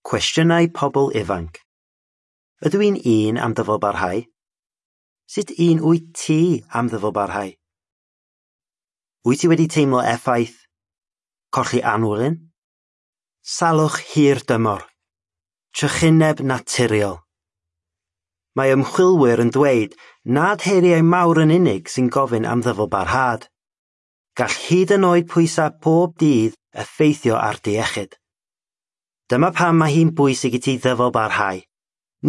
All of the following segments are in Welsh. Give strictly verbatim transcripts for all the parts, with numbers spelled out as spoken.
Cwestiynau pobl ifanc. Ydw i'n un am ddyfalbarhau? Sut un wyt ti am ddyfalbarhau? Wyt ti wedi teimlo effaith colli anwylyn? Salwch hir dymor. Trychineb naturiol. Mae ymchwilwyr yn dweud nad heriau mawr yn unig sy'n gofyn am ddyfalbarhad. Gall hyd yn oed pwysau pob dydd effeithio ar dy iechyd. Dyma pam mae hi'n bwysig i ti ddyfalbarhau.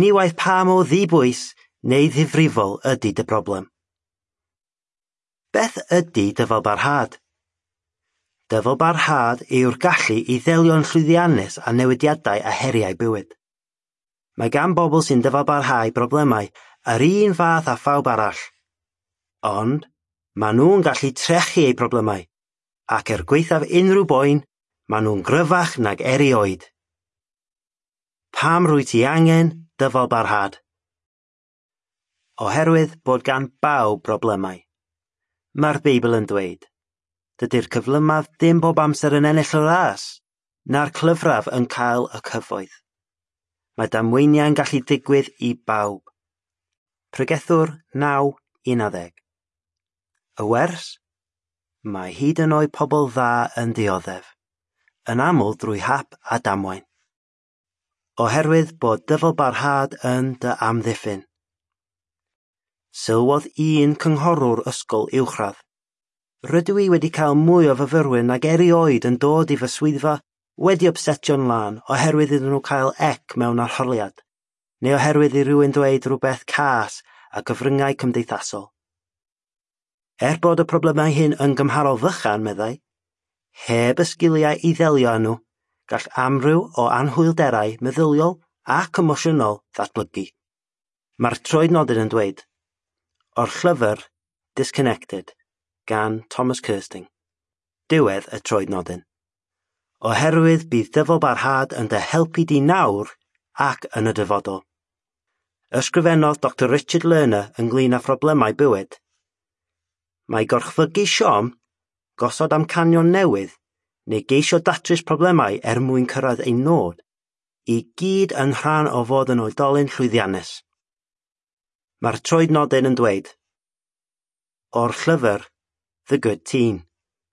Ni waeth pa mor ddibwys neu ddifrifol ydy dy broblem. Beth ydy dyfalbarhad? Dyfalbarhad yw'r gallu i ddelio'n llwyddiannus â newidiadau a heriau bywyd. Mae gan bobl sy'n dyfalbarhau broblemau yr un fath â phawb arall. Ond, maen nhw'n gallu trechu eu problemau, ac er gwaethaf unrhyw boen, maen nhw'n gryfach nag erioed. Pam rwyt ti angen dyfalbarhad? Oherwydd bod gan bawb broblemau. Mae'r Beibl yn dweud, dydy'r cyflymaf dim bob amser yn ennill y ras, na'r clyfraf yn cael y cyfoeth. Mae damweiniau'n gallu digwydd i bawb. Pregethwr naw un ar ddeg. Y wers? Mae hyd yn oed pobl dda yn dioddef, yn aml drwy hap a damwain. Oherwydd bod dyfalbarhad yn dy amddiffyn. Sylwodd un cynghorwr ysgol uwchradd. Rydw i wedi cael mwy o fyfyrwyr nag erioed yn dod i fy swyddfa wedi ypsetio'n lân oherwydd iddyn nhw cael C mewn arholiad, neu oherwydd i rywun dweud rhywbeth cas ar gyfryngau cymdeithasol. Er bod y problemau hyn yn gymharol fychan, meddai, heb y sgiliau i ddelio â nhw, gall amryw o anhwylderau meddyliol ac emosiynol ddatblygu. Mae'r troednodyn yn dweud, o'r llyfr Disconnected gan Thomas Kersting. Diwedd y troednodyn. Oherwydd bydd dyfalbarhad yn dy helpu di nawr ac yn y dyfodol. Ysgrifennodd Doctor Richard Lerner ynglyn â phroblemau bywyd. Mae gorchfygu siom, gosod amcanion newydd, neu geisio datrys problemau er mwyn cyrraedd ein nod, i gyd yn rhan o fod yn oedolyn llwyddiannus. Mae'r troednodyn yn dweud, o'r llyfr The Good Teen,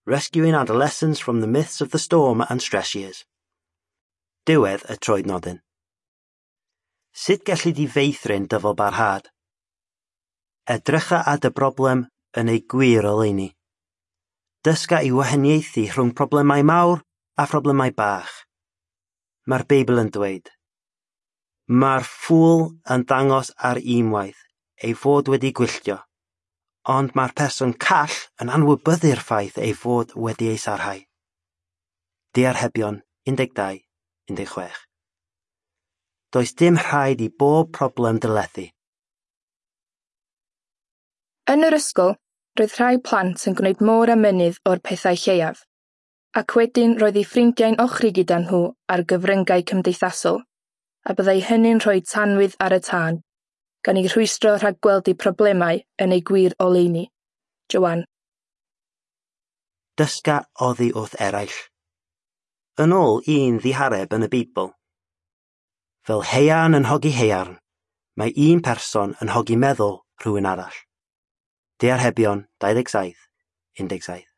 Rescuing Adolescents from the Myths of the Storm and Stress Years. Diwedd y troednodyn. Sut gelli di feithrin dyfalbarhad? Edrycha ar dy broblem yn ei gwir oleuni. Dysga i wahaniaethu rhwng problemau mawr a phroblemau bach. Mae'r Beibl yn dweud, mae'r ffŵl yn dangos ar unwaith ei fod wedi gwylltio, ond mae'r person call yn anwybyddu'r ffaith ei fod wedi ei sarhau. Diarhebion un deg dau, un deg chwech. Does dim rhaid i bob problem dy lethu. Yn yr ysgol, roedd rhai plant yn gwneud môr a mynydd o'r pethau lleiaf, ac wedyn roedd eu ffrindiau'n ochri gyda nhw ar gyfryngau cymdeithasol, a byddai hynny'n rhoi tanwydd ar y tân, gan eu rhwystro rhag gweld eu problemau yn eu gwir oleuni. Joanne. Dysga oddi wrth eraill. Yn ôl un ddihareb yn y Beibl. Fel haearn yn hogi haearn, mae un person yn hogi meddwl rhywun arall. Diarhebion dau ddeg saith, un deg saith.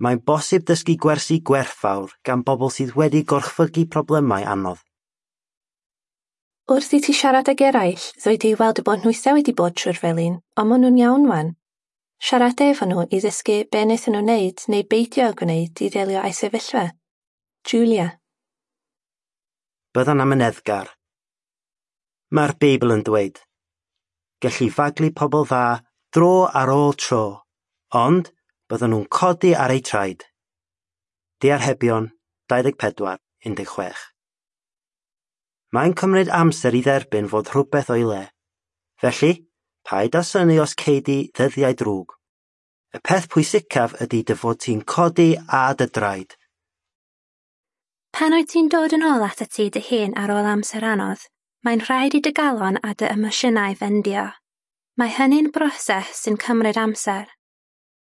Mae'n bosib dysgu gwersi gwerthfawr gan bobl sydd wedi gorchfygu problemau anodd. Wrth i ti siarad ag eraill, ddoi di weld y bod nhwythau wedi bod trwy'r felin, ond maen nhw'n iawn wan. Siarad efo nhw i ddysgu be wnaethon nhw wneud neu beidio â gwneud i ddelio â'i sefyllfa. Julia. Bydda'n amyneddgar. Mae'r Beibl yn dweud, gelli faglu pobl dda dro ar ôl tro, ond byddan nhw'n codi ar eu traed. Diarhebion dau ddeg pedwar, un deg chwech. Mae'n cymryd amser i dderbyn fod rhywbeth o'i le. Felly, paid â synnu os cei di ddyddiau drwg. Y peth pwysicaf ydy dy fod ti'n codi a dy draed. Pan wyt ti'n dod yn ôl atat ti dy hun ar ôl amser anodd, mae'n rhaid i dy galon a dy emosiynau fendio. Mae hynny'n broses sy'n cymryd amser.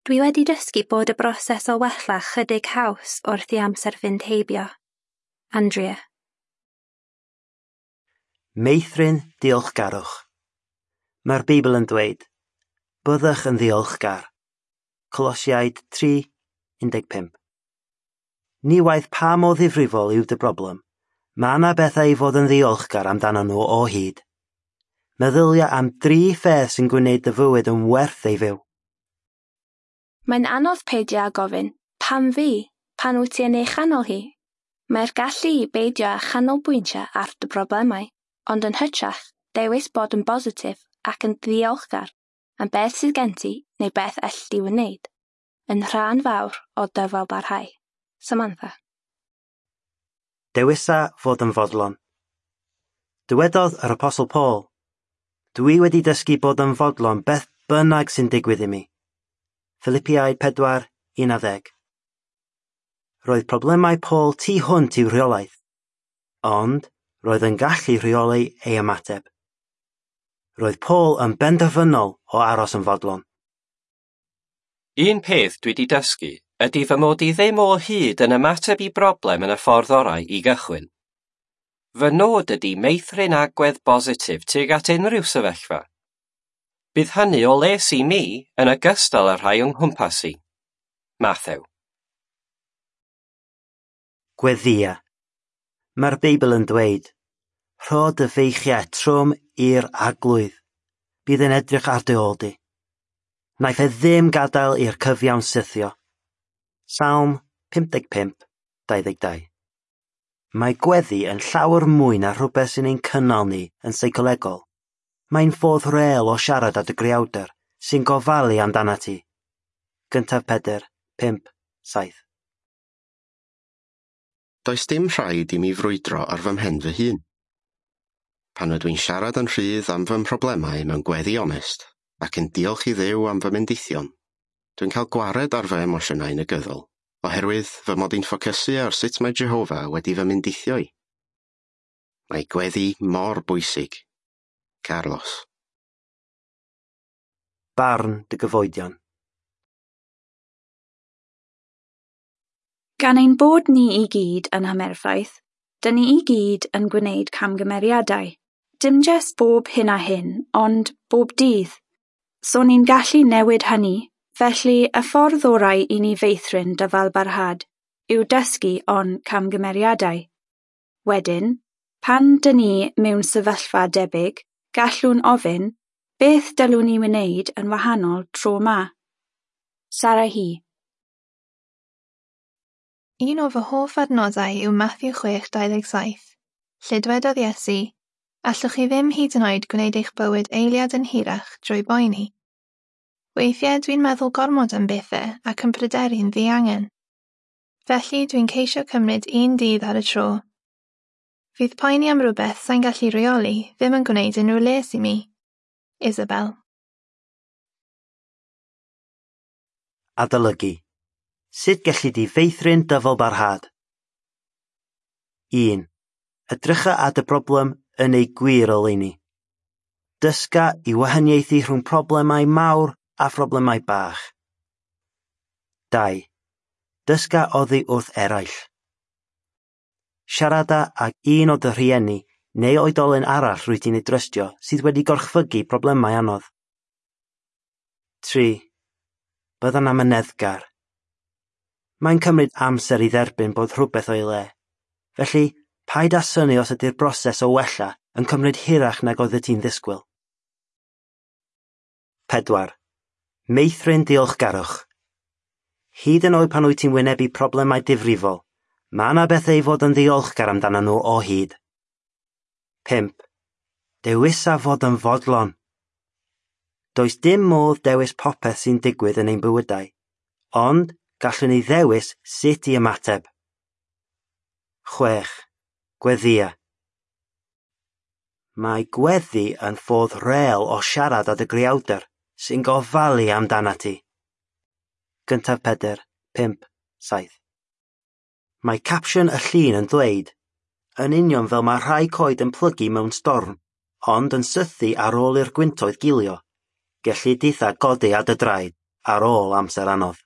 Dwi wedi dysgu bod y broses o wella chydig haws wrth i amser fynd heibio. Andrea. Meithrin diolchgarwch. Mae'r Beibl yn dweud, byddwch yn ddiolchgar. Colosiaid tri, un deg pump. Ni waeth pa mor ddifrifol yw dy broblem, mae yna bethau i fod yn ddiolchgar amdano nhw o hyd. Meddylia am dri pheth sy'n gwneud dy fywyd yn werth ei fyw. Mae'n anodd peidio â gofyn, pam fi, pan wyt ti yn ei chanol hi? Mae'r gallu i beidio â chanolbwyntio ar dy broblemau, ond yn hytrach, dewis bod yn bositif ac yn ddiolchgar am beth sydd gen ti neu beth elli di wneud, yn rhan fawr o dyfalbarhau. Samantha. Dewisa fod yn fodlon. Dywedodd yr Apostle Paul, dwi wedi dysgu bod yn fodlon beth bynnag sy'n digwydd i mi. Philippiaid pedwar, un a ddeg. Roedd problemau Paul tu hwnt i'w rheolaeth, ond roedd yn gallu rheoli ei ymateb. Roedd Paul yn benderfynol o aros yn fodlon. Un peth dwi wedi dysgu ydy fy mod i ddim o hyd yn ymateb i broblem yn y ffordd orau i gychwyn. Fy nod ydy meithrin agwedd bositif tuag at unrhyw sefyllfa. Bydd hynny o les i mi yn ogystal â'r rhai yng nghwmpas i. Matthew. Gweddïa. Mae'r Beibl yn dweud, rho dy feichiau trwm i'r arglwydd. Bydd yn edrych ar dy ôl di. Wnaiff e ddim gadael i'r cyfiawn sythio. Salm pump deg pump, dau ddeg dau. Mae gweddi yn llawer mwy na rhywbeth sy'n ein cynnal ni yn seicolegol. Mae'n ffordd real o siarad â dy greawdr sy'n gofalu amdanat ti. Gyntaf Pedr, pump, saith. Does dim rhaid i mi frwydro ar fy mhen fy hun. Pan ydw i'n siarad yn rhydd am fy mhroblemau mewn gweddi onest ac yn diolch i Dduw am fy mendithion, dwi'n cael gwared ar fy emosiynau negyddol, oherwydd fy mod i'n ffocysu ar sut mae Jehofa wedi fy mendithio i. Mae gweddi mor bwysig. Carlos. Barn dy gyfoedion. Gan ein bod ni i gyd yn amherffaith, dyn ni i gyd yn gwneud camgymeriadau. Dim jyst bob hyn a hyn, ond bob dydd. So ni'n gallu newid hynny, felly y ffordd orau i ni feithrin dyfalbarhad yw dysgu o'n camgymeriadau. Wedyn, pan dyn ni mewn sefyllfa debyg, gallwn ofyn, beth dylwn ni wneud yn wahanol tro 'ma? Sarahi. Un o fy hoff adnoddau yw Matthew chwech dau ddeg saith, lle dwedodd Iesu, allwch chi ddim hyd yn oed gwneud eich bywyd eiliad yn hirach drwy boeni. Weithiau dwi'n meddwl gormod am bethau ac yn pryderu'n ddiangen. Felly dwi'n ceisio cymryd un dydd ar y tro. Fydd poeni am rhywbeth sa'n gallu rheoli ddim yn gwneud unrhyw les i mi. Isabel. Adolygu. Sut gelli di feithrin dyfalbarhad? un. Edrycha at y broblem yn ei gwir oleuni. Dysga i wahaniaethu rhwng problemau mawr a phroblemau bach. dau. Dysga oddi wrth eraill. Siarada ag un o dy rhieni neu oedolyn arall rwyt ti'n ei drystio sydd wedi gorchfygu problemau anodd. tri. Bydda'n amyneddgar. Mae'n cymryd amser i dderbyn bod rhywbeth o'i le. Felly, paid â synnu os ydy'r broses o wella yn cymryd hirach nag oeddet ti'n ddisgwyl. pedwar. Meithrin diolchgarwch. Hyd yn oed pan wyt ti'n wynebu problemau difrifol, mae yna bethau i fod yn ddiolchgar amdano nhw o hyd. pump. Dewisa fod yn fodlon. Does dim modd dewis popeth sy'n digwydd yn ein bywydau, ond gallwn ni ddewis sut i ymateb. chwech. Gweddïa. Mae gweddi yn ffordd real o siarad â dy greawdr sy'n gofalu amdanat ti. Gyntaf Pedr, pump, saith. Mae capsiwn y llun yn dweud, yn union fel mae rhai coed yn plygu mewn storm, ond yn sythu ar ôl i'r gwyntoedd gilio, gelli ditha godi ar dy draed ar ôl amser anodd.